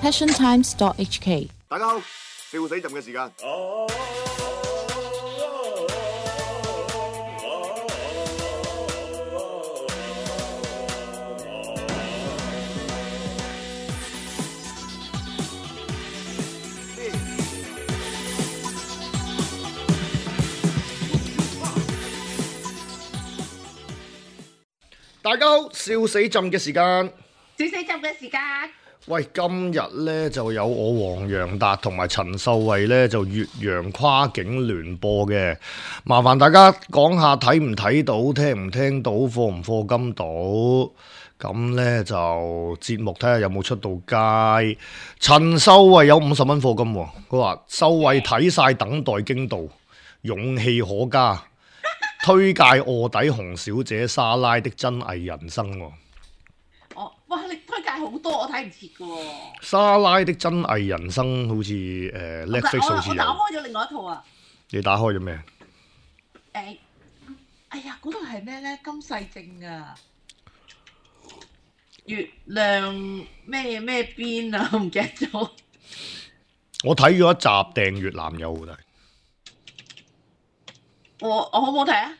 passiontimes.hk。大家好，笑死朕嘅時間。大家好，笑死朕嘅時間。笑死朕嘅時間。喂，今日呢就有我黃洋達同埋陳秀慧呢就越洋跨境聯播嘅，麻煩大家講下睇唔睇到，聽唔聽到，課唔課金到，咁呢就節目睇下有冇出到街。陳秀慧有50蚊課金喎，佢話秀慧睇晒等待驚到，勇氣可嘉，推介臥底洪小姐莎拉的真偽人生喎。哇！你推介好多，我睇唔切嘅喎。莎拉的真偽人生好似Netflix 好似有。我打開咗另外一套啊。你打開咗咩？哎呀，嗰套係咩咧？金世正啊，月亮咩邊啊？我唔記得咗。我睇咗一集訂閱男友嘅。我好唔好睇啊？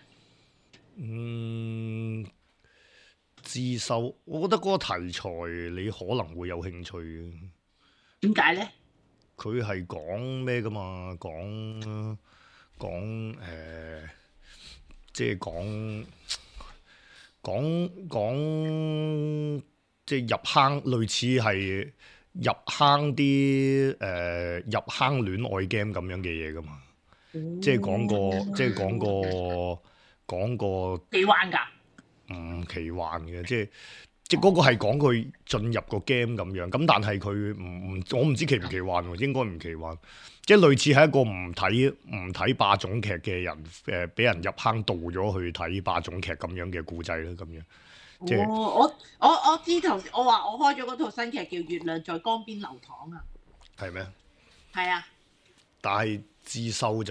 自修，我覺得嗰個題材你可能會有興趣嘅。點解咧？佢係講咩噶嘛？即係講即係入坑，類似係入坑啲入坑戀愛 game 咁樣嘅嘢噶嘛？即係講個幾玩㗎？唔奇幻嘅，即係嗰個係講佢進入個 game 咁樣，咁但係佢我唔知奇唔奇幻喎，應該唔奇幻，即係類似係一個唔睇霸總劇嘅人，俾人入坑導咗去睇霸總劇咁樣嘅故仔啦，咁樣。即係我知頭先我話我開咗嗰套新劇叫《月亮在江邊流淌》啊。係咩？係啊。但係資修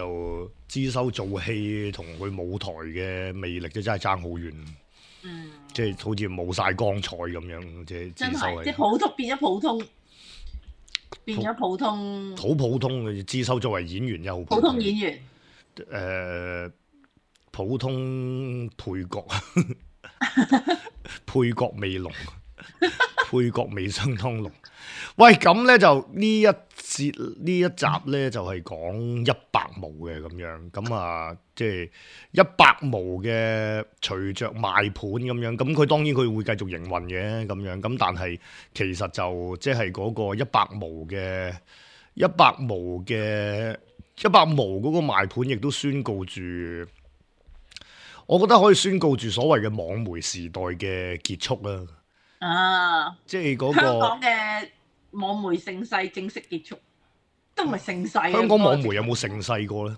做戲同佢舞台嘅魅力真係爭好遠。即係好似冇晒光彩咁樣，即係真係，即係普通變咗普通，好普通嘅資修作為演員又普通演員，普通配角，配角未濃，配角未相當濃。喂，咁咧就呢一集咧就係講100毛嘅咁樣，咁啊即係100毛嘅隨着賣盤咁樣，咁佢當然佢會繼續營運嘅咁樣，咁但係其實就即係嗰個100毛嗰個賣盤，亦都宣告住，我覺得可以宣告住所謂嘅網媒時代嘅結束啦。啊，即係嗰個香港嘅網媒盛世正式結束，都唔係盛世。香港網媒有冇盛世過咧？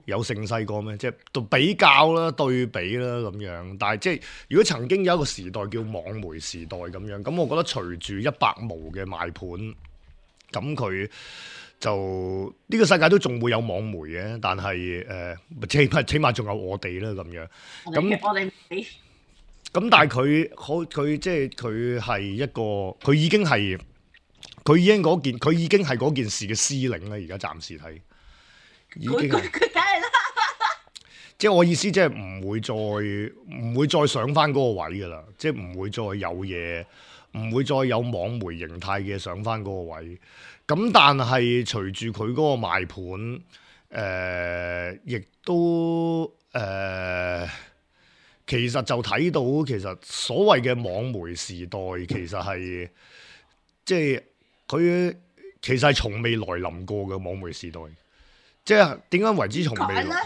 有盛世過咩？即係比較啦、對比啦咁樣。但係即係如果曾經有一個時代叫網媒時代咁樣，咁我覺得隨住100毛嘅賣盤，咁佢就呢個世界都仲會有網媒嘅，但係起碼仲有我哋啦咁樣。咁我哋咁但係佢即係佢係一個，佢已經係嗰件事嘅司令啦。而家暫時睇，已經係佢梗係啦。即係我意思，即係唔會再上翻嗰個位噶啦，即係唔會再有嘢，唔會再有網媒形態嘅上翻嗰個位。咁但係隨住佢嗰個賣盤，亦都其實就睇到，其實所謂嘅網媒時代，其實係即係佢其實係從未來臨過嘅網媒時代。即係點解為之從未來？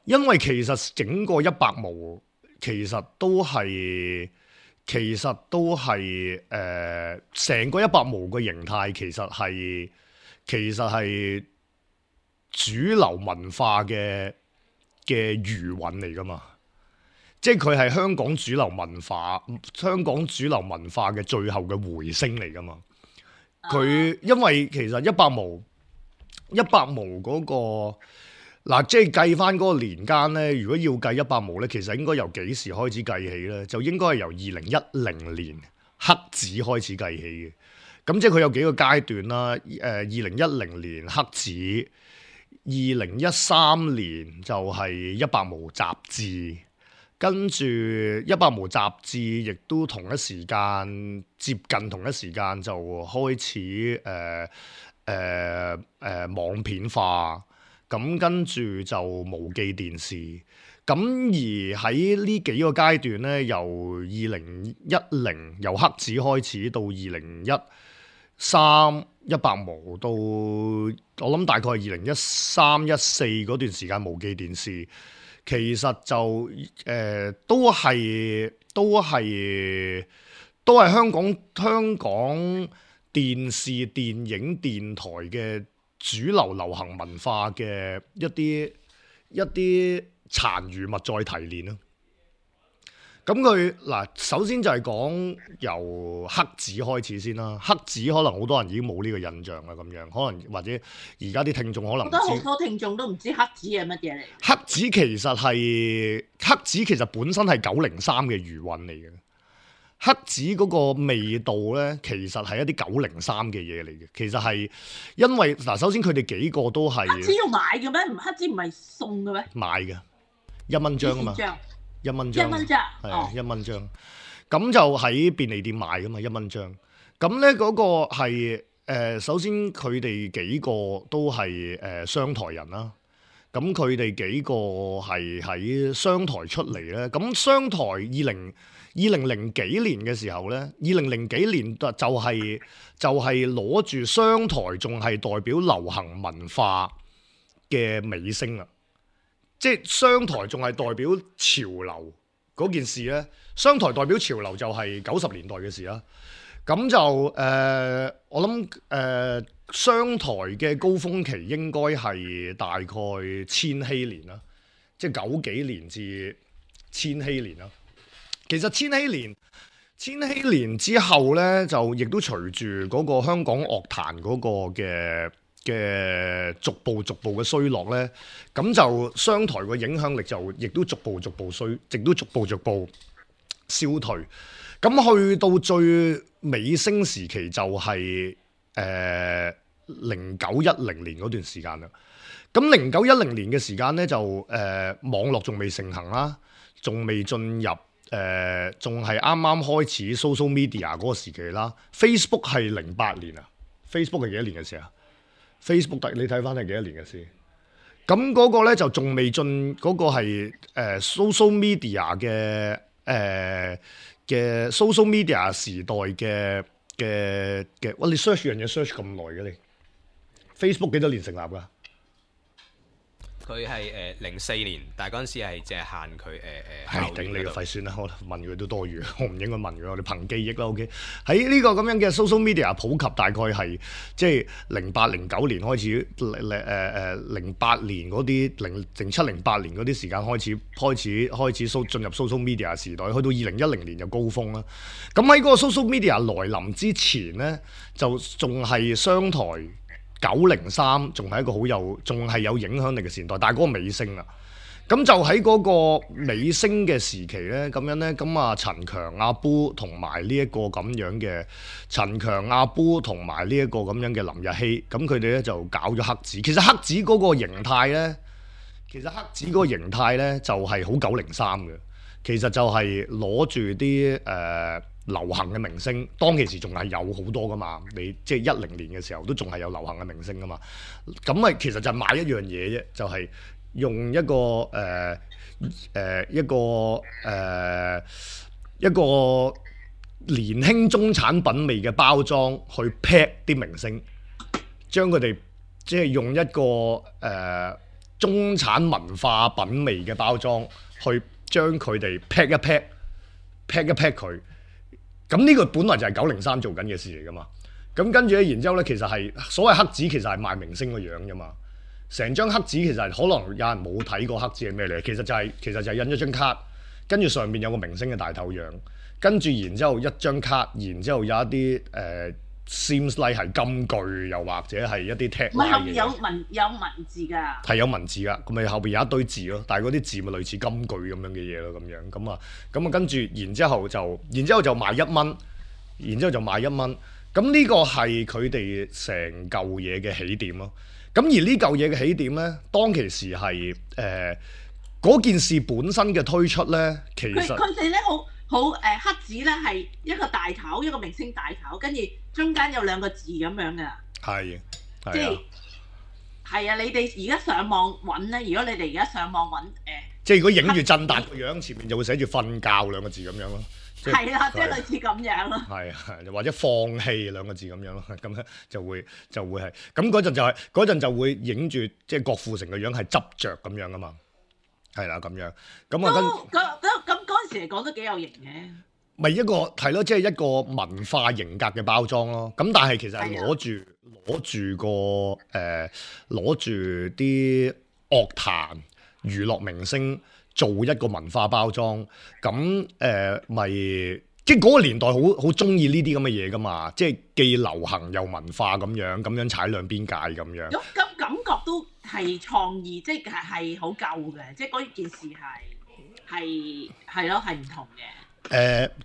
因為其實整個100毛其實都係成個100毛嘅形態，其實係主流文化嘅餘韻嚟噶嘛。即係佢係香港主流文化嘅最後嘅回聲嚟噶嘛。佢因為其實100毛嗰個嗱，即係計翻嗰個年間咧，如果要計100毛咧，其實應該由幾時開始計起咧？就應該係由2010年黑紙開始計起嘅。咁即係佢有幾個階段啦。2010年黑紙，2013年就係一百毛雜誌，跟住一百毛雜誌亦都同一時間接近同一時間就開始網片化，咁跟住就無記電視。咁而喺呢幾個階段咧，由2010由黑紙開始到2013一百毛到我諗大概係2013-14嗰段時間無記電視，其實就都係香港電視、電影、電台嘅主流流行文化嘅一啲殘餘物再提煉咯。咁佢嗱，首先就係講由黑紙開始先啦。黑紙可能好多人已經冇呢個印象啦，咁樣可能或者而家啲聽眾可能唔知，我覺得好多聽眾都唔知黑紙係乜嘢嚟。黑紙其實本身係903嘅餘韻嚟嘅。黑紙嗰個味道咧，其實係一啲903嘅嘢嚟嘅。其實係因為嗱，首先佢哋幾個都係黑紙要買嘅咩？黑紙唔係送嘅咩？買嘅，1蚊張啊嘛。1蚊張，係啊，1蚊張，咁就喺便利店買噶嘛，1蚊張。咁咧嗰個係首先佢哋幾個都係商台人啦。咁佢哋幾個係喺商台出嚟咧。咁商台2000幾年嘅時候咧，2000幾年就係攞住商台仲係代表流行文化嘅尾聲啦。即係商台仲係代表潮流嗰件事咧，商台代表潮流就係90年代嘅事啦。咁就我諗商台嘅高峰期應該係大概千禧年啦，即係90幾年至千禧年啦。其實千禧年之後咧，就亦都隨住嗰個香港樂壇嗰個嘅逐步嘅衰落咧，咁就商台個影響力就亦都逐步衰，亦都逐步消退。咁去到最尾聲時期就係0910年嗰段時間啦。咁0910年嘅時間咧就網絡仲未盛行啦，仲未進入仲係啱啱開始 social media 嗰個時期啦。Facebook 係08年啊。Facebook 係幾多年嘅事啊？Facebook 你睇翻係幾多年嘅事？咁嗰個咧就仲未進嗰個係social media 嘅 social media 時代嘅，哇！你 search 樣嘢 search 咁耐嘅你 Facebook 幾多年成立㗎？佢係04年，但係嗰陣時係淨係限佢頂你個肺算啦！我問佢都多餘，我唔應該問佢，我哋憑記憶啦。OK， 喺呢個咁樣嘅 social media 普及，大概係即係08、09年開始，08年嗰啲07、08年嗰啲時間開始進入 social media 時代，去到2010年就高峰啦。咁喺嗰個 social media 來臨之前咧，就仲係商台。903仲係一個仲係有影響力嘅時代，但係嗰個尾聲啦。咁就喺嗰個尾聲嘅時期咧，咁樣咧，咁啊陳強阿 Boo 同埋呢一個咁樣嘅陳強阿 Boo 同埋呢一個咁樣嘅林日曦，咁佢哋咧就搞咗黑紙。其實黑紙嗰個形態咧，就係好903嘅。其實就係攞住啲流行嘅明星，當其時仲係有好多噶嘛，你即係10年嘅時候都仲係有流行嘅明星噶嘛，咁咪其實就係買一樣嘢啫，就係、是、用一個年輕中產品味嘅包裝去 pack 啲明星，將佢哋即係用一個中產文化品味嘅包裝去將佢哋 pack 一 pack 佢。咁呢個本來就係903做緊嘅事嚟噶嘛，咁跟住咧，然之後咧，其實係所謂黑紙，其實係賣明星個樣啫嘛。成張黑紙其實可能有人冇睇過黑紙係咩嚟，其實就係印咗張卡，跟住上面有個明星嘅大頭樣，跟住然之後一張卡，然之後有一啲seems like 係金句，又或者係一啲 tag。唔係後面有文字㗎。係有文字㗎，咁咪後邊有一堆字咯，但係嗰啲字咪類似金句咁樣嘅嘢咯，咁啊跟住然之後就賣1蚊，然之後就賣1蚊。咁呢個係佢哋成嚿嘢嘅起點咯。咁而呢嚿嘢嘅起點咧，當其時係嗰件事本身嘅推出咧，其實佢哋咧好黑子咧係一個大頭，一個明星大頭，跟住中間有2個字咁樣嘅。係，即係係啊！你哋而家上網揾咧，如果你哋而家上網揾即係如果影住振達個樣，前面就會寫住瞓覺2個字咁樣咯。係啦，即係類似咁樣咯。係或者放棄2個字咁樣咯，咁咧就會係咁嗰陣就會影住即係郭富城個樣係執着咁樣噶嘛，係啦咁樣咁啊咁嗰陣時嚟講都幾有型嘅。咪一個係咯，即係一個文化型格嘅包裝咯。咁但係其實係攞住啲樂壇娛樂明星做一個文化包裝，咁咪即係嗰個年代好中意呢啲咁嘅嘢噶嘛，即係既流行又文化咁樣踩兩邊界咁樣。咁感覺都係創意，即係好舊嘅，即係嗰件事係咯，係唔同嘅。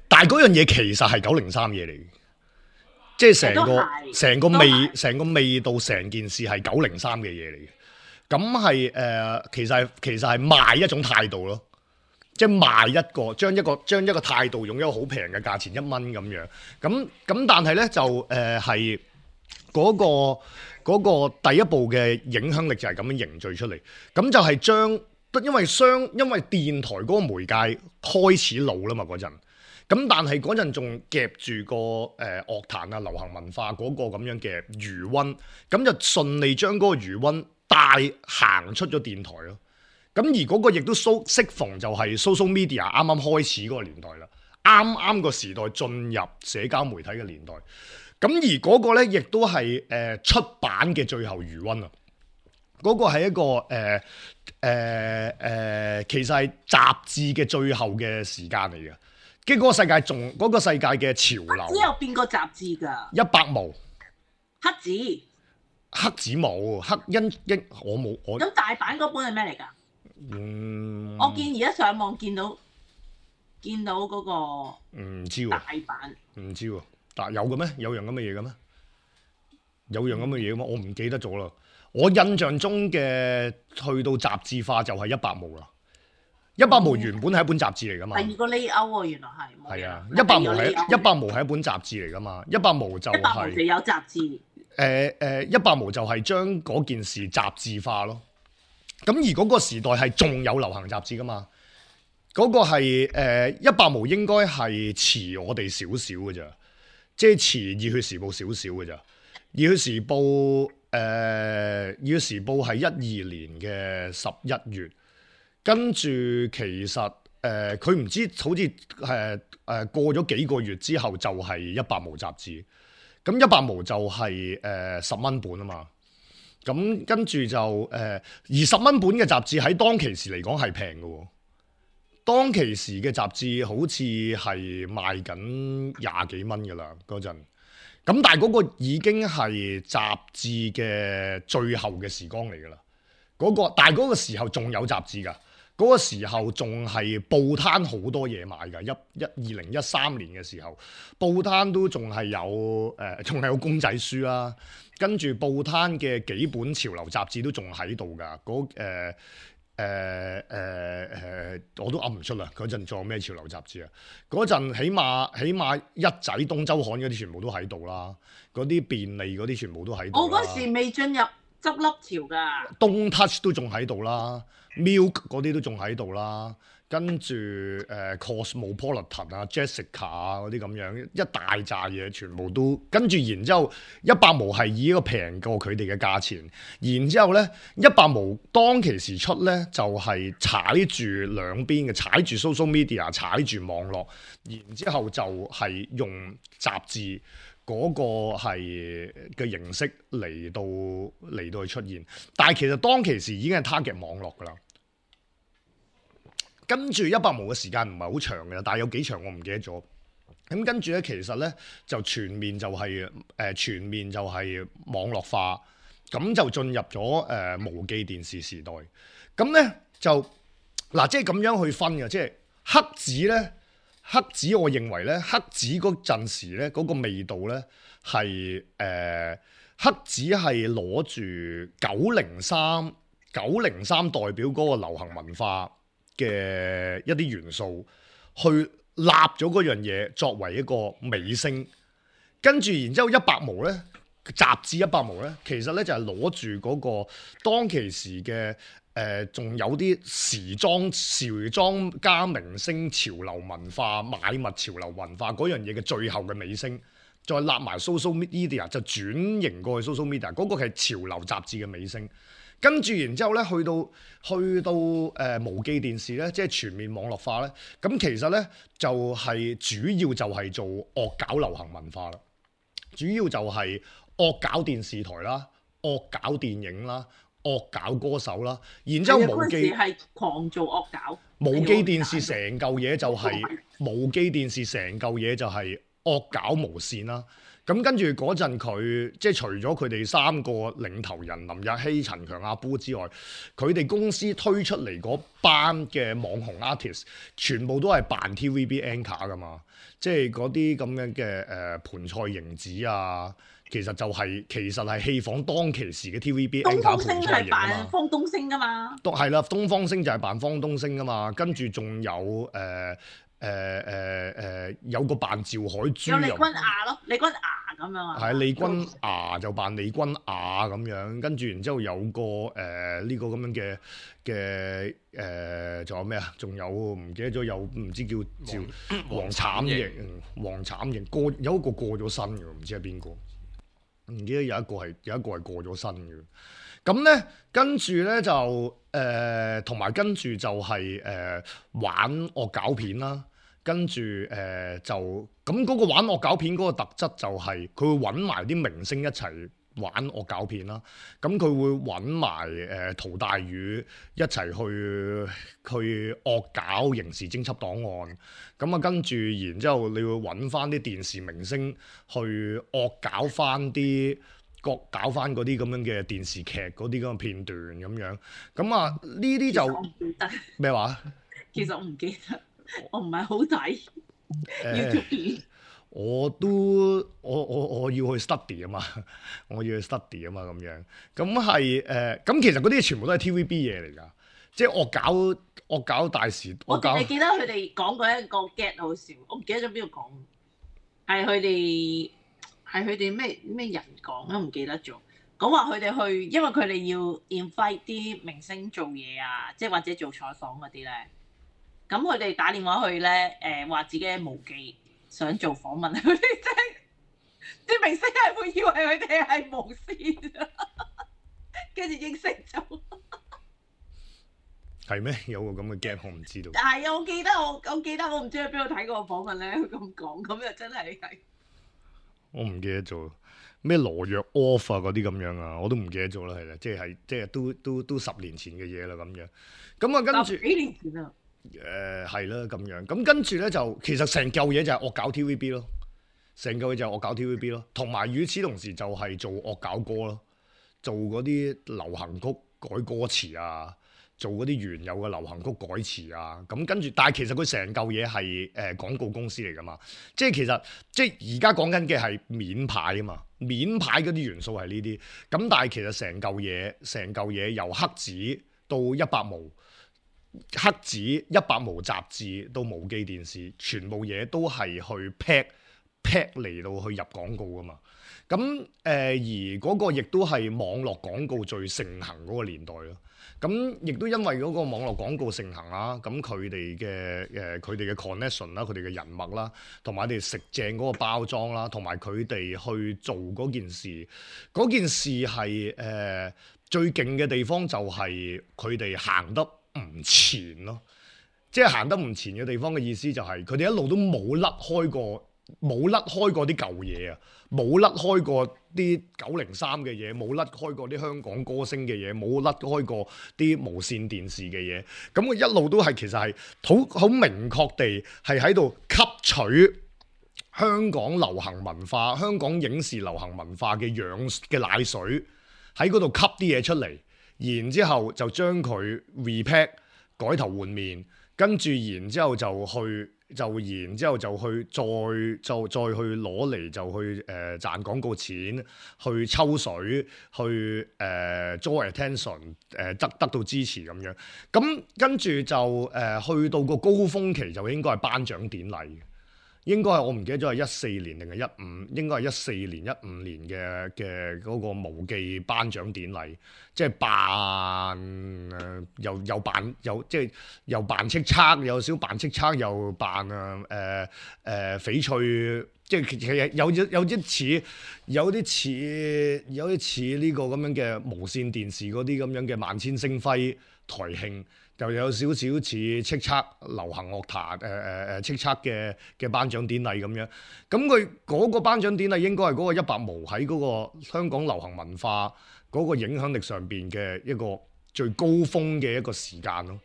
但係嗰樣嘢其實係903嘢嚟嘅，即係成個味道，成件事係903嘅嘢嚟嘅。咁係其實係賣一種態度咯，即係賣將一個態度用一個好平嘅價錢1蚊咁樣。咁但係咧就係嗰個第一步嘅影響力就係咁樣凝聚出嚟。咁就係因為電台嗰個媒介開始老啦嘛嗰陣，咁但係嗰陣仲夾住個樂壇啊流行文化嗰個咁樣嘅餘溫，咁就順利將嗰個餘溫帶行出咗電台咯。咁而嗰個亦都適逢就係 social media 啱啱開始嗰個年代啦，啱個時代進入社交媒體嘅年代。咁而嗰個咧亦都係出版嘅最後餘溫啊！嗰個係一個其實係雜誌嘅最後嘅時間嚟嘅，跟住嗰個世界嘅潮流。黑子有變過雜誌㗎？100毛黑子冇黑因我冇我。咁大版嗰本係咩嚟㗎？我見而家上網見到嗰個唔知喎大版唔知喎，但有嘅咩？有樣咁嘅嘢嘅咩？有樣咁嘅嘢嘅咩？我唔記得咗啦。我印象中嘅去到雜誌化就係100毛啦。100毛原本係一本雜誌嚟噶嘛。第二個 layout 喎，原來係。係啊，100毛係一本雜誌嚟噶嘛。100毛就係。100毛就有雜誌。100毛就係將嗰件事雜誌化咯。咁而嗰個時代係仲有流行雜誌噶嘛？嗰個係100毛應該係遲我哋少少嘅咋，即係遲熱血時報少少嘅咋。熱血時報係12年嘅11月，跟住其實佢唔知好似過咗幾個月之後就係100毛雜誌，咁100毛就係10蚊本啊嘛，咁跟住就而10蚊本嘅雜誌喺當其時嚟講係平嘅喎，當其時嘅雜誌好似係賣緊20幾蚊㗎啦嗰陣。咁但係嗰個已經係雜誌嘅最後嘅時光嚟㗎啦，但係嗰個時候仲有雜誌㗎，嗰個時候仲係報攤好多嘢買㗎。2013年嘅時候，報攤都仲係有公仔書啦，跟住報攤嘅幾本潮流雜誌都仲喺度㗎。我都噏唔出啦。嗰陣仲有咩潮流雜誌啊？嗰陣起碼一仔東周刊嗰啲全部都喺度啦，嗰啲便利嗰啲全部都喺度。我嗰時未進入執笠潮㗎。東 touch 都仲喺度啦 ，Milk 嗰啲都仲喺度啦，跟住Cosmopolitan 啊、Jessica 啊嗰啲咁樣一大扎嘢，全部都跟住，然之後100毛係以一個平過佢哋嘅價錢，然之後咧100毛當其時出咧就係踩住兩邊嘅，踩住 social media， 踩住網絡，然之後就係用雜誌嗰個係嘅形式嚟到去出現，但係其實當其時已經係 target 網絡㗎啦。跟住100毛嘅時間唔係好長嘅，但係有幾長我唔記得咗。咁跟住咧，其實咧就全面就係網絡化，咁就進入咗無記電視時代。咁咧就嗱，即係咁樣去分嘅，即係黑子咧黑子我認為咧，黑子嗰陣時咧嗰個味道咧係黑子係攞住903代表嗰個流行文化嘅一啲元素去立咗嗰樣嘢作為一個尾聲，跟住然之後100毛咧。雜誌100毛咧，其實咧就係攞住嗰個當其時嘅仲有啲時裝加明星潮流文化、買物潮流文化嗰樣嘢嘅最後嘅尾聲，再立埋 social media 就轉型過去 social media，嗰個係潮流雜誌嘅尾聲。跟住然之後咧，去到無記電視咧，即係全面網絡化咧。咁其實咧就係主要就係做惡搞流行文化啦，主要就係惡搞電視台啦，惡搞電影啦，惡搞歌手啦，然之後無記係狂做惡搞，無記電視成嚿嘢就係無記電視成嚿嘢就係惡搞無線啦。咁跟住嗰陣佢即係除咗佢哋3個領頭人林日曦、陳強、阿 Boo 之外，佢哋公司推出嚟嗰班嘅網紅 artist 全部都係扮 TVB anchor 噶嘛，即係嗰啲咁樣嘅盤菜瑩子啊。其實係戲仿當其時嘅 TVB anchor 盤菜瑩啊嘛。東方星係扮方東升噶嘛。係啦，東方星就係扮方東升噶嘛，跟住仲有有個扮趙海珠，有李君雅咯，李君雅咁樣啊。係李君雅就扮李君雅咁樣，跟住然之後有個呢個咁樣嘅仲有咩啊？仲有唔記得咗，有唔知叫黃慘瑩，黃慘瑩有一個過咗身嘅，唔知係邊個？唔記得有一個係過咗身嘅。咁咧跟住咧就同埋跟住就係玩惡搞片啦。跟住就咁嗰個玩惡搞片嗰個特質就係佢會揾埋啲明星一齊玩惡搞片啦。咁佢會揾埋陶大宇一齊去惡搞刑事偵緝檔案。咁啊跟住然之後你會揾翻啲電視明星去惡搞翻嗰啲咁樣嘅電視劇嗰啲咁嘅片段咁樣。咁啊呢啲就咩話？其實我唔記得。我唔係好睇 YouTube 我要去 study 啊嘛，我要去 study 啊嘛咁樣，咁係咁其實嗰啲全部都係 TVB 嘢嚟㗎，即係惡搞大時。我淨係記得佢哋講過一個 get 好笑，我唔記得咗邊度講，係佢哋咩人講都唔記得咗，講話佢哋去，因為佢哋要 invite 啲明星做嘢啊，即係或者做採訪嗰啲咧。咁佢哋打電話去咧，話自己係無記想做訪問，佢哋即係啲明星係會以為佢哋係無線，跟住應承咗。係咩？有個咁嘅 gap 我唔知道。但係我記得我唔知喺邊度睇過個訪問咧，佢咁講，咁又真係我唔記得咗咩羅約 off 啊嗰啲咁樣啊，我都唔記得咗啦，係啦，即係都10年前嘅嘢啦咁樣。咁啊跟住10幾年前啊。係啦咁樣，咁跟住咧就其實成嚿嘢就係惡搞 TVB 咯，成嚿嘢就係惡搞 TVB 咯，同埋與此同時就係做惡搞歌咯，做嗰啲流行曲改歌詞啊，做嗰啲原有嘅流行曲改詞啊，咁跟住，但係其實佢成嚿嘢係廣告公司嚟噶嘛，即係其實即係而家講緊嘅係面牌啊嘛，面牌嗰啲元素係呢啲，咁但係其實成嚿嘢由黑子到100毛。黑子100毛雜誌到無記電視，全部嘢都係去 pack 嚟到去入廣告噶嘛。咁而嗰個亦都係網絡廣告最盛行嗰個年代咯。咁亦都因為嗰個網絡廣告盛行啦，咁佢哋嘅 connection 啦，佢哋嘅人脈啦，同埋佢哋食正嗰個包裝啦，同埋佢哋去做嗰件事係最勁嘅地方就係佢哋行得唔前咯，即係行得唔前嘅地方嘅意思就係佢哋一路都冇甩開過啲舊嘢啊，冇甩開過啲903嘅嘢，冇甩開過啲香港歌星嘅嘢，冇甩開過啲無線電視嘅嘢，咁佢一路都係其實係好明確地係喺度吸取香港流行文化、香港影視流行文化嘅奶水，喺嗰度吸啲嘢出嚟。然之後就將佢 repack 改頭換面，跟住然之後就去就然之後就去再去攞嚟就去賺廣告錢，去抽水，去draw attention， 得到支持咁樣。咁跟住就去到個高峰期就應該係頒獎典禮。應該係我唔記得咗係14年定係15，應該係14年15年嘅嗰個無記頒獎典禮，即係又扮即係又扮叱咤，有少扮叱咤，又扮翡翠，即係其實有啲似呢個咁樣嘅無線電視嗰啲咁樣嘅萬千星輝台慶。就有少少似叱咤流行樂壇叱咤嘅頒獎典禮咁樣，咁佢嗰個頒獎典禮應該係嗰個100毛喺嗰個香港流行文化嗰個影響力上邊嘅一個最高峰嘅一個時間咯。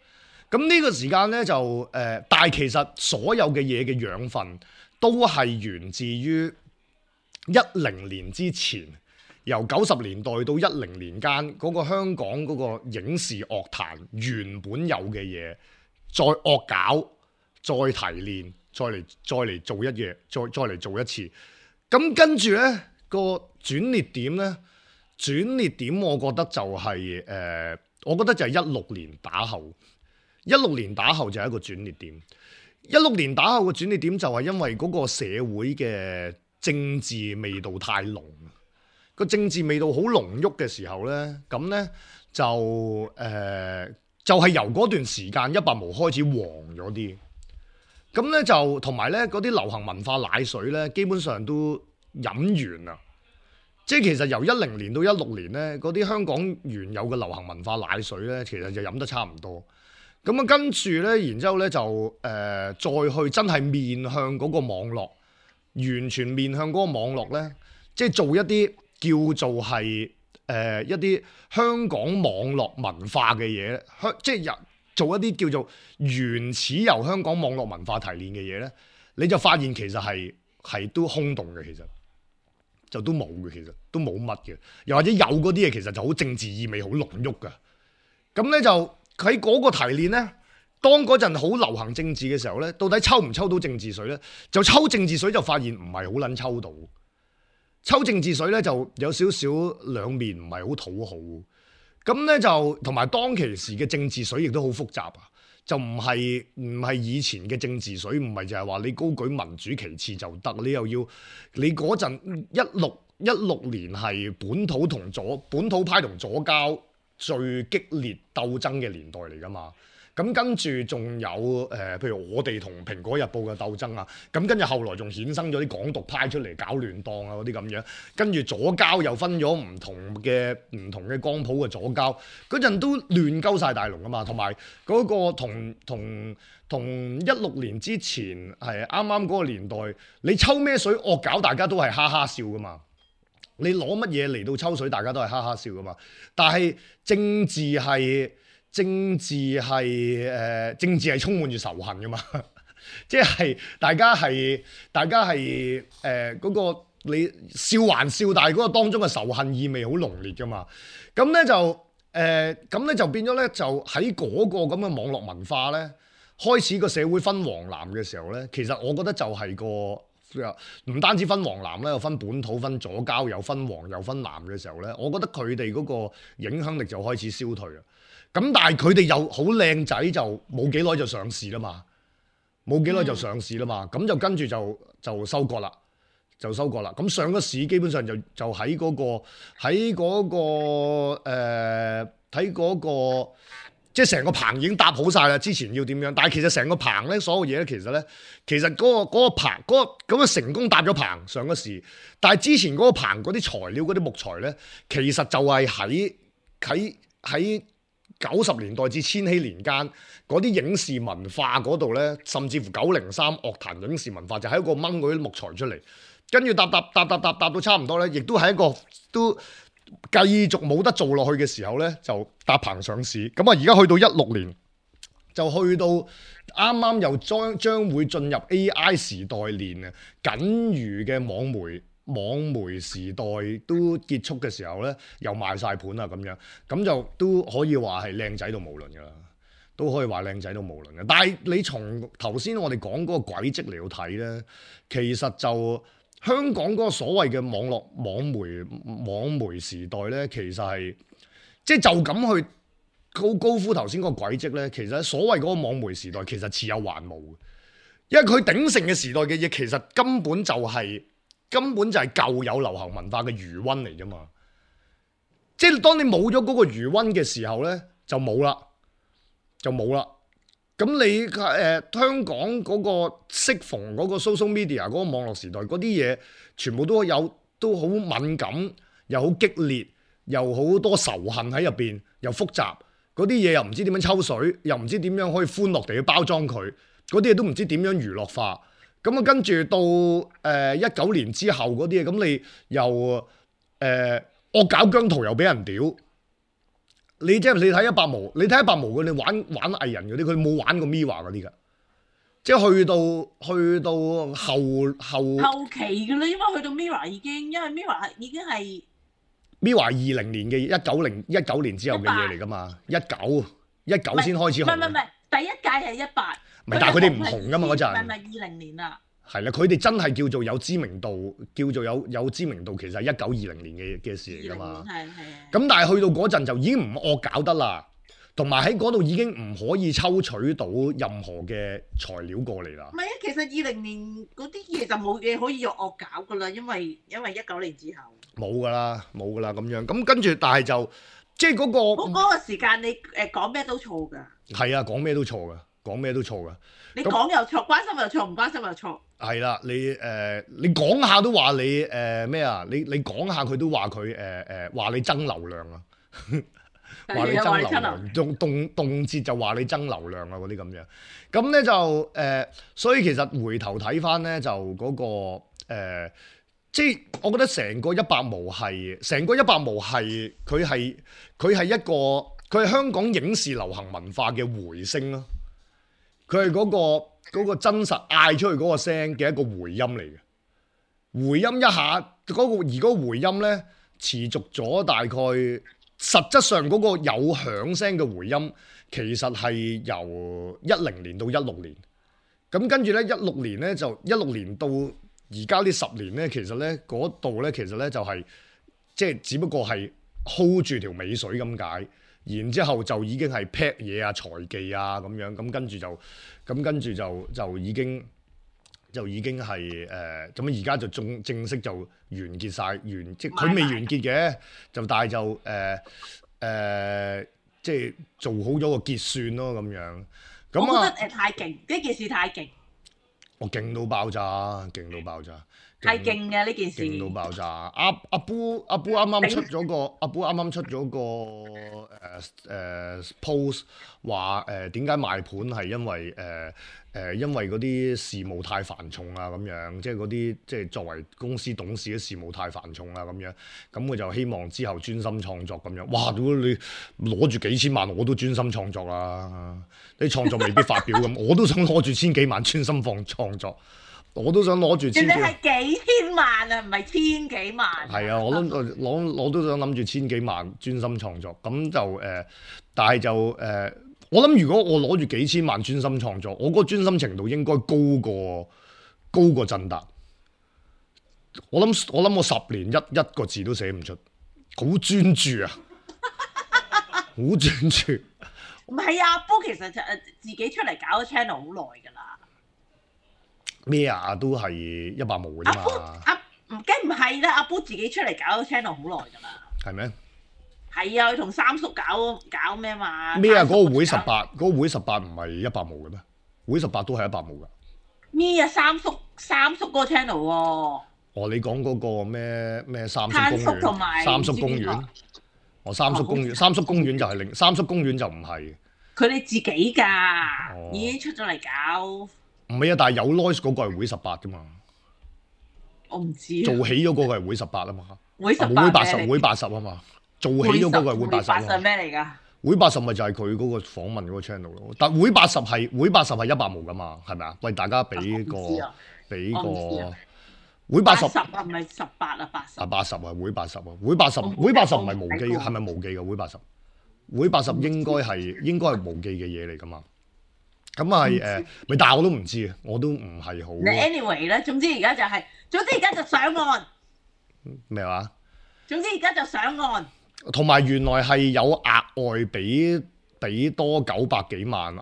咁呢個時間咧就但係其實所有嘅嘢嘅養分都係源自於10年之前。由90年代到10年間，嗰個香港嗰個影視樂壇原本有嘅嘢，再惡搞，再提煉，再嚟做一嘢，再嚟做一次。咁跟住呢個轉捩點呢，轉捩點我覺得就係我覺得就係16年打後，16年打後就係一個轉捩點。16年打後嘅轉捩點就係因為嗰個社會嘅政治味道太濃。個政治味道好濃郁嘅時候呢，咁呢就係由嗰段時間100毛開始黃咗啲，咁呢就同埋呢嗰啲流行文化奶水呢，基本上都飲完啦。即係其實由10年到16年呢，嗰啲香港原有嘅流行文化奶水呢，其實就飲得差唔多。咁啊跟住呢，然之後呢就再去真係面向嗰個網絡，完全面向嗰個網絡呢，即係做一啲叫做係一啲香港網絡文化嘅嘢，即係做一啲叫做原始由香港網絡文化提煉嘅嘢咧，你就發現其實係都空洞嘅，其實就都冇嘅，其實都冇乜嘅，又或者有嗰啲嘢其實就好政治意味好濃郁㗎。咁咧就喺嗰個提煉咧，當嗰陣好流行政治嘅時候咧，到底抽唔抽到政治水咧？就抽政治水就發現唔係好撚抽到。抽政治水咧就有少少兩面，唔係好討好。咁咧就同埋當其時嘅政治水亦都好複雜啊，就唔係以前嘅政治水，唔係就係話你高舉民主其次就得，你又要你嗰陣16年係本土派同左膠最激烈鬥爭嘅年代嚟㗎嘛。咁跟住仲有譬如我哋同《蘋果日報》嘅鬥爭啊，咁跟住後來仲衍生咗啲港獨派出嚟搞亂檔啊嗰啲咁樣，跟住左膠又分咗唔同嘅光譜嘅左膠，嗰陣都亂鳩晒大龍啊嘛，同埋嗰個同16年之前係啱啱嗰個年代，你抽咩水惡搞大家都係哈哈笑噶嘛，你攞乜嘢嚟到抽水大家都係哈哈笑噶嘛，但係政治係充滿住仇恨噶嘛，即係大家係嗰個你笑還笑，但係嗰個當中嘅仇恨意味好濃烈噶嘛。咁咧就變咗咧，就喺嗰個咁嘅網絡文化咧，開始個社會分黃藍嘅時候咧，其實我覺得就係唔單止分黃藍咧，又分本土、分左膠，又分黃又分藍嘅時候咧，我覺得佢哋嗰個影響力就開始消退啦。咁但係佢哋又好靚仔，就冇幾耐就上市啦嘛，咁就跟住就收割啦，咁上咗市基本上就喺嗰個即係成個棚已經搭好晒啦，之前要點樣？但係其實成個棚咧，所有嘢咧，其實嗰個棚咁嘅成功搭咗棚上咗市，但係之前嗰個棚嗰啲材料嗰啲木材咧，其實就係喺90年代至千禧年間嗰啲影視文化嗰度咧，甚至乎903樂壇影視文化就喺一個掹嗰啲木材出嚟，跟住搭到差唔多咧，亦都係一個都繼續冇得做落去嘅時候咧，就搭棚上市。咁啊，而家去到16年，就去到啱啱又將會進入 AI 時代年啊，僅餘嘅網媒時代都結束嘅時候咧，又賣晒盤啦咁樣，咁就都可以話係靚仔到無倫噶啦。都可以話靚仔到無倫嘅。但係你從頭先我哋講嗰個軌跡嚟到睇咧，其實就香港嗰個所謂嘅網媒時代咧，其實係即係就咁去高呼頭先嗰個軌跡咧，其實所謂嗰個網媒時代其實似有還無嘅，因為佢鼎盛嘅時代嘅嘢其實根本就係舊有流行文化嘅餘溫嚟啫嘛。即係當你冇咗嗰個餘溫嘅時候咧，就冇啦。咁你香港嗰個適逢嗰個 social media 嗰個網絡時代嗰啲嘢，全部都好敏感，又好激烈，又好多仇恨喺入邊，又複雜。嗰啲嘢又唔知點樣抽水，又唔知點樣可以歡樂地去包裝佢。嗰啲嘢都唔知點樣娛樂化。咁啊，跟住到19年之後嗰啲嘢，咁你又惡搞姜濤又俾人屌。你睇一百毛，佢哋玩藝人嗰啲，佢冇玩過 Mirror 嗰啲㗎，即係去到後期㗎啦，因為去到 Mirror 因為 Mirror 已經係 Mirror 20年嘅19年之後嘅嘢嚟㗎嘛，19先開始紅。唔係，第一屆係18。但係佢哋唔紅㗎嘛嗰陣。唔係20年啦。係啦，佢哋真係叫做有知名度，有知名度，其實係1920年嘅事嚟㗎嘛。係。咁但係去到嗰陣就已經唔惡搞得啦，同埋喺嗰度已經唔可以抽取到任何嘅材料過嚟啦。唔係啊，其實20年嗰啲嘢就冇嘢可以惡搞㗎啦，因為19年之後冇㗎啦咁樣。咁跟住，但係就即係嗰個時間，你講咩都錯㗎。係啊，講咩都錯㗎。你講又錯，關心又錯，唔關心又錯。係啦，你講下都話你咩啊？你講下佢都話佢話你爭流量啊，話你爭流量，動輒就話你爭流量啊嗰啲咁樣。咁咧就所以其實回頭睇翻咧，就嗰個即係我覺得成個一百毛係佢係香港影視流行文化嘅回聲咯。佢係嗰個真實嗌出去嗰個聲嘅一個回音嚟嘅，回音一下而嗰個回音咧持續咗大概，實質上嗰個有響聲嘅回音其實係由10年到16年，咁跟住咧16年咧就16年到而家呢10年咧，其實咧嗰度咧其實咧就係即係只不過係 hold 住條尾水咁解。然之後就已經係 pack 嘢啊、財技啊咁樣，咁跟住就已經係咁而家就正式就完結晒，即係佢未完結嘅，就但係就即係做好咗個結算咯咁樣。咁我覺得太勁，呢件事太勁。我勁到爆炸，太勁嘅呢件事，勁到爆炸。阿 Boo 啱啱出咗個post 話點解賣盤係因為嗰啲事務太繁重啊咁樣，即係嗰啲即係作為公司董事嘅事務太繁重啊咁樣，咁佢就希望之後專心創作咁樣。哇！如果你攞住幾千萬，我都專心創作啦。你創作未必發表咁，我都想攞住千幾萬專心創作。我都想攞住千幾萬，人哋係幾千萬啊，唔係千幾萬。係啊，我都想諗住千幾萬專心創作，咁就但係就我諗如果我攞住幾千萬專心創作，我嗰個專心程度應該高過振達。我諗我10年一個字都寫唔出，好專注啊，好專注。唔係啊，波其實就自己出嚟搞個 channel 好耐㗎啦。咩啊？都係一百毛嘅啫嘛。梗唔係啦，阿波自己出嚟搞個 channel 好耐㗎啦。係咩？係啊，佢同三叔搞咩嘛？咩啊？嗰個會18唔係一百毛嘅咩？會18都係一百毛㗎。咩啊？三叔嗰個 channel 喎。哦，你講嗰個咩三叔公園？同埋三叔公園。三叔公園，三叔公園就係三叔公園就唔係。佢哋自己㗎，已經出咗嚟搞。唔係啊，但係有 noise 嗰個係會18㗎嘛。我唔知。做起咗嗰個係會18啊嘛。會18會80啊嘛。做起咗嗰個係會80。會80咩嚟㗎？會80咪就係佢嗰個訪問嗰個 channel 咯。但會80係100毛㗎嘛，係咪啊？喂，大家俾個會80啊，唔係18啊，80。80啊，會80啊，會80唔係無記，係咪無記嘅會80？會80應該係無記嘅嘢嚟噶嘛。咁係但係我都唔知啊，我都唔係好。anyway 咧，總之而家就上岸。咩話？總之而家就上岸。同埋原來係有額外俾多900幾萬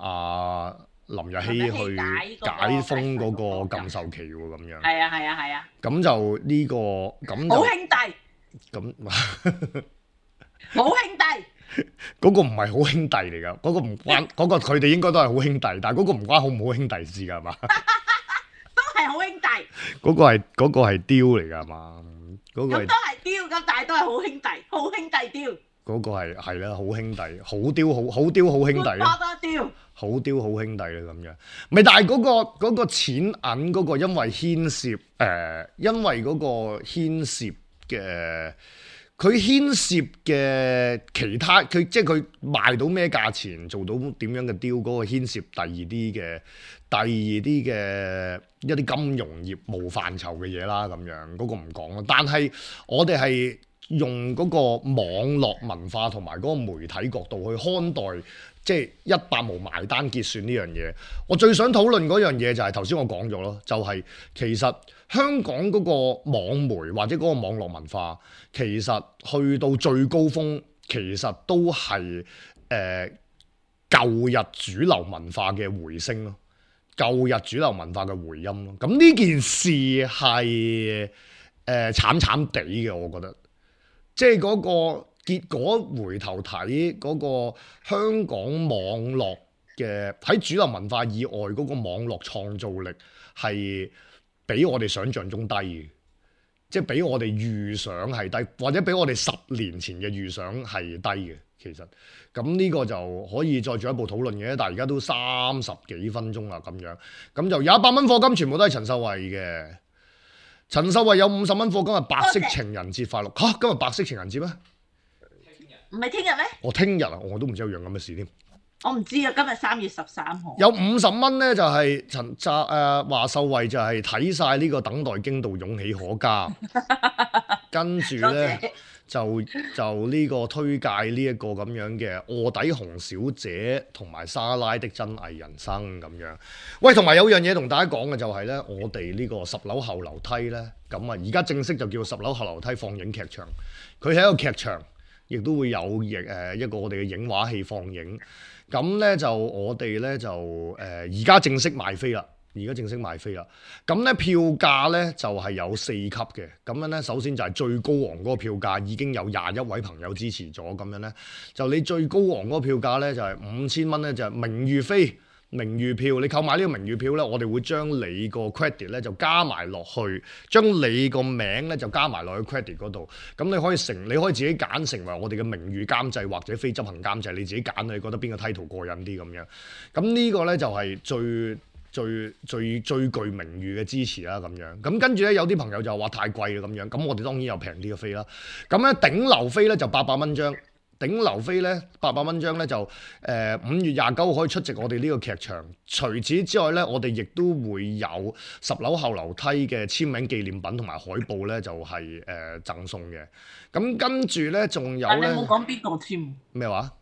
林日曦去解封嗰個禁售期喎，咁樣。係啊。咁就呢個咁好兄弟。咁好兄弟。嗰個唔係好兄弟嚟㗎，嗰個唔關嗰個佢哋應該都係好兄弟，但係嗰個唔關好唔好兄弟事㗎，係嘛？都係好兄弟。嗰個係雕嚟㗎，係嘛？嗰個咁都係雕，咁但係都係好兄弟，好兄弟雕。嗰個係啦，好兄弟，好雕好兄弟啦。好雕好兄弟啦，咁樣。咪但係嗰個錢銀嗰個，因為牽涉因為嗰個牽涉嘅。佢牽涉嘅其他，佢即係佢賣到咩價錢，做到點樣嘅雕，嗰個牽涉第二啲嘅一啲金融業務範疇嘅嘢啦，咁樣嗰個唔講啦。但係我哋係用嗰個網絡文化同埋嗰個媒體角度去看待，即係100毛埋單結算呢樣嘢。我最想討論嗰樣嘢就係頭先我講咗咯，就係其實香港嗰個網媒或者嗰個網絡文化，其實去到最高峰，其實都係舊日主流文化嘅回升咯，舊日主流文化嘅回音咯。咁呢件事係慘慘地嘅，我覺得，即係嗰個結果回頭睇嗰個香港網絡嘅喺主流文化以外嗰個網絡創造力係比我哋想象中低嘅，即係比我哋預想係低，或者比我哋10年前嘅預想係低嘅。其實咁呢個就可以再進一步討論嘅，但係而家都30幾分鐘啦，咁樣咁就有100蚊課金，全部都係陳秀慧嘅。陳秀慧有50蚊課金，今日白色情人節快樂嚇！今日白色情人節咩？唔係聽日咩？我聽日啊，我都唔知有樣咁嘅事添。我唔知啊，今日3月13號。有50蚊咧，就係華秀慧就係睇晒呢個等待經度勇氣可嘉，跟住咧就呢個推介呢一個咁樣嘅臥底紅小姐同埋莎拉的真偽人生咁樣。喂，同埋有樣嘢同大家講嘅就係咧，我哋呢個10樓後樓梯咧，咁啊而家正式就叫10樓後樓梯放映劇場，佢係一個劇場，亦都會有一個我哋嘅影畫戲放映。咁咧就我哋咧就而家正式賣飛啦，咁咧票價咧就係有4級嘅。咁樣咧首先就係最高昂嗰個票價已經有21位朋友支持咗，咁樣咧就你最高昂嗰個票價咧就係5000蚊咧，就係名譽飛。名譽票，你購買呢個名譽票咧，我哋會將你個 credit 咧就加埋落去，將你個名咧就加埋落去 credit 嗰度。咁你可以自己揀成為我哋嘅名譽監製或者非執行監製，你自己揀，你覺得邊個 title 過癮啲咁樣。咁呢個咧就係最具名譽嘅支持啦咁樣。咁跟住咧有啲朋友就話太貴啦咁樣，咁我哋當然有平啲嘅飛啦。咁咧頂樓飛咧就800蚊張。頂樓飛咧800蚊張咧就5月29號可以出席我哋呢個劇場。除此之外咧，我哋亦都會有10樓後樓梯嘅簽名紀念品同埋海報咧，就係贈送嘅。咁跟住咧仲有咧，你冇講邊個簽？咩話？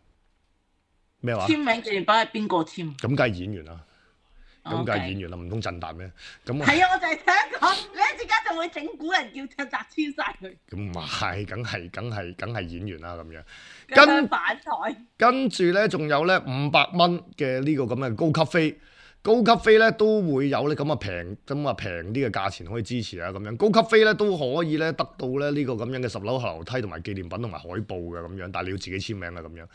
簽名紀念品係邊個簽？咁梗係演員啦。咁梗係演員啦，唔通震達咩？咁係啊，我就係想講，你一陣間就會整蠱人叫震達簽晒佢。咁唔係，梗係演員啦咁樣。跟住咧，仲有咧500蚊嘅呢個咁嘅高級飛。高級飛咧都會有咧咁啊平啲嘅價錢可以支持啊咁樣。高級飛咧都可以咧得到咧呢個咁樣嘅10樓後樓梯同埋紀念品同埋海報嘅咁樣，但係你要自己簽名啊咁樣。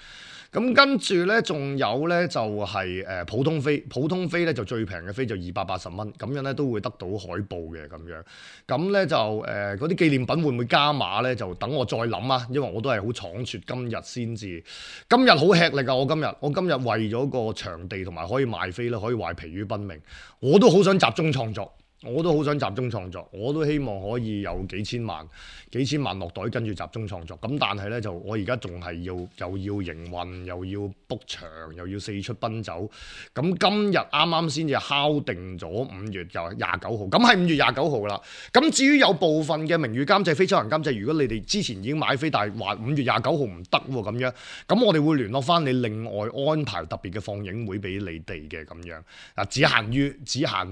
咁跟住咧仲有咧就係普通飛，普通飛咧就最平嘅飛就280蚊，咁樣咧都會得到海報嘅咁樣。咁咧就嗰啲紀念品會唔會加碼咧？就等我再諗啊，因為我都係好倉促，今日先至。今日好吃力啊！我今日為咗個場地同埋可以賣飛咧，可以話疲於奔命。我都好想集中創作，我都好想集中創作，我都希望可以有幾千萬落袋跟住集中創作。咁但係呢，就我而家仲係又要營運，又要 book 場，又要四出奔走。咁今日啱啱先至敲定咗5月就29號，咁係5月29號啦。咁至於有部分嘅名譽監製、非執行監製，如果你哋之前已經買飛，但係話5月29號唔得喎咁樣，咁我哋會聯絡翻你，另外安排特別嘅放映會俾你哋嘅咁樣。嗱，只限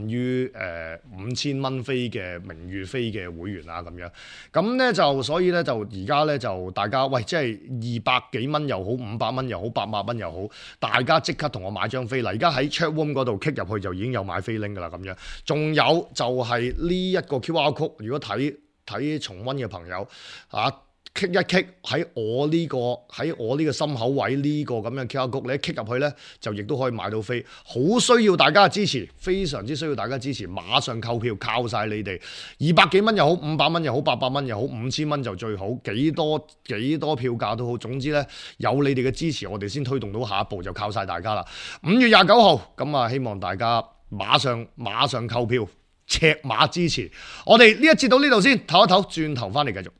於5000蚊飛嘅名譽飛嘅會員啊咁樣，咁咧就所以咧就而家咧就大家喂，即係200幾蚊又好，500蚊又好，800蚊又好，大家即刻同我買張飛啦！而家喺 chat room 嗰度 click 入去就已經有買飛 link 噶啦咁樣，仲有就係呢一個 QR code，如果睇重溫嘅朋友啊。kick 一 kick 喺我呢個心口位呢個咁樣 QR code，你一 kick 入去呢，就亦都可以買到飛，好需要大家嘅支持，非常之需要大家支持，馬上購票，靠晒你哋，200幾蚊又好，500蚊又好，800蚊又好，5000蚊就最好，幾多票價都好，總之呢，有你哋嘅支持，我哋先推動到下一步，就靠晒大家啦。5月29號，咁啊希望大家馬上購票，赤馬支持，我哋呢一節到呢度先，唞一唞，轉頭翻嚟繼續。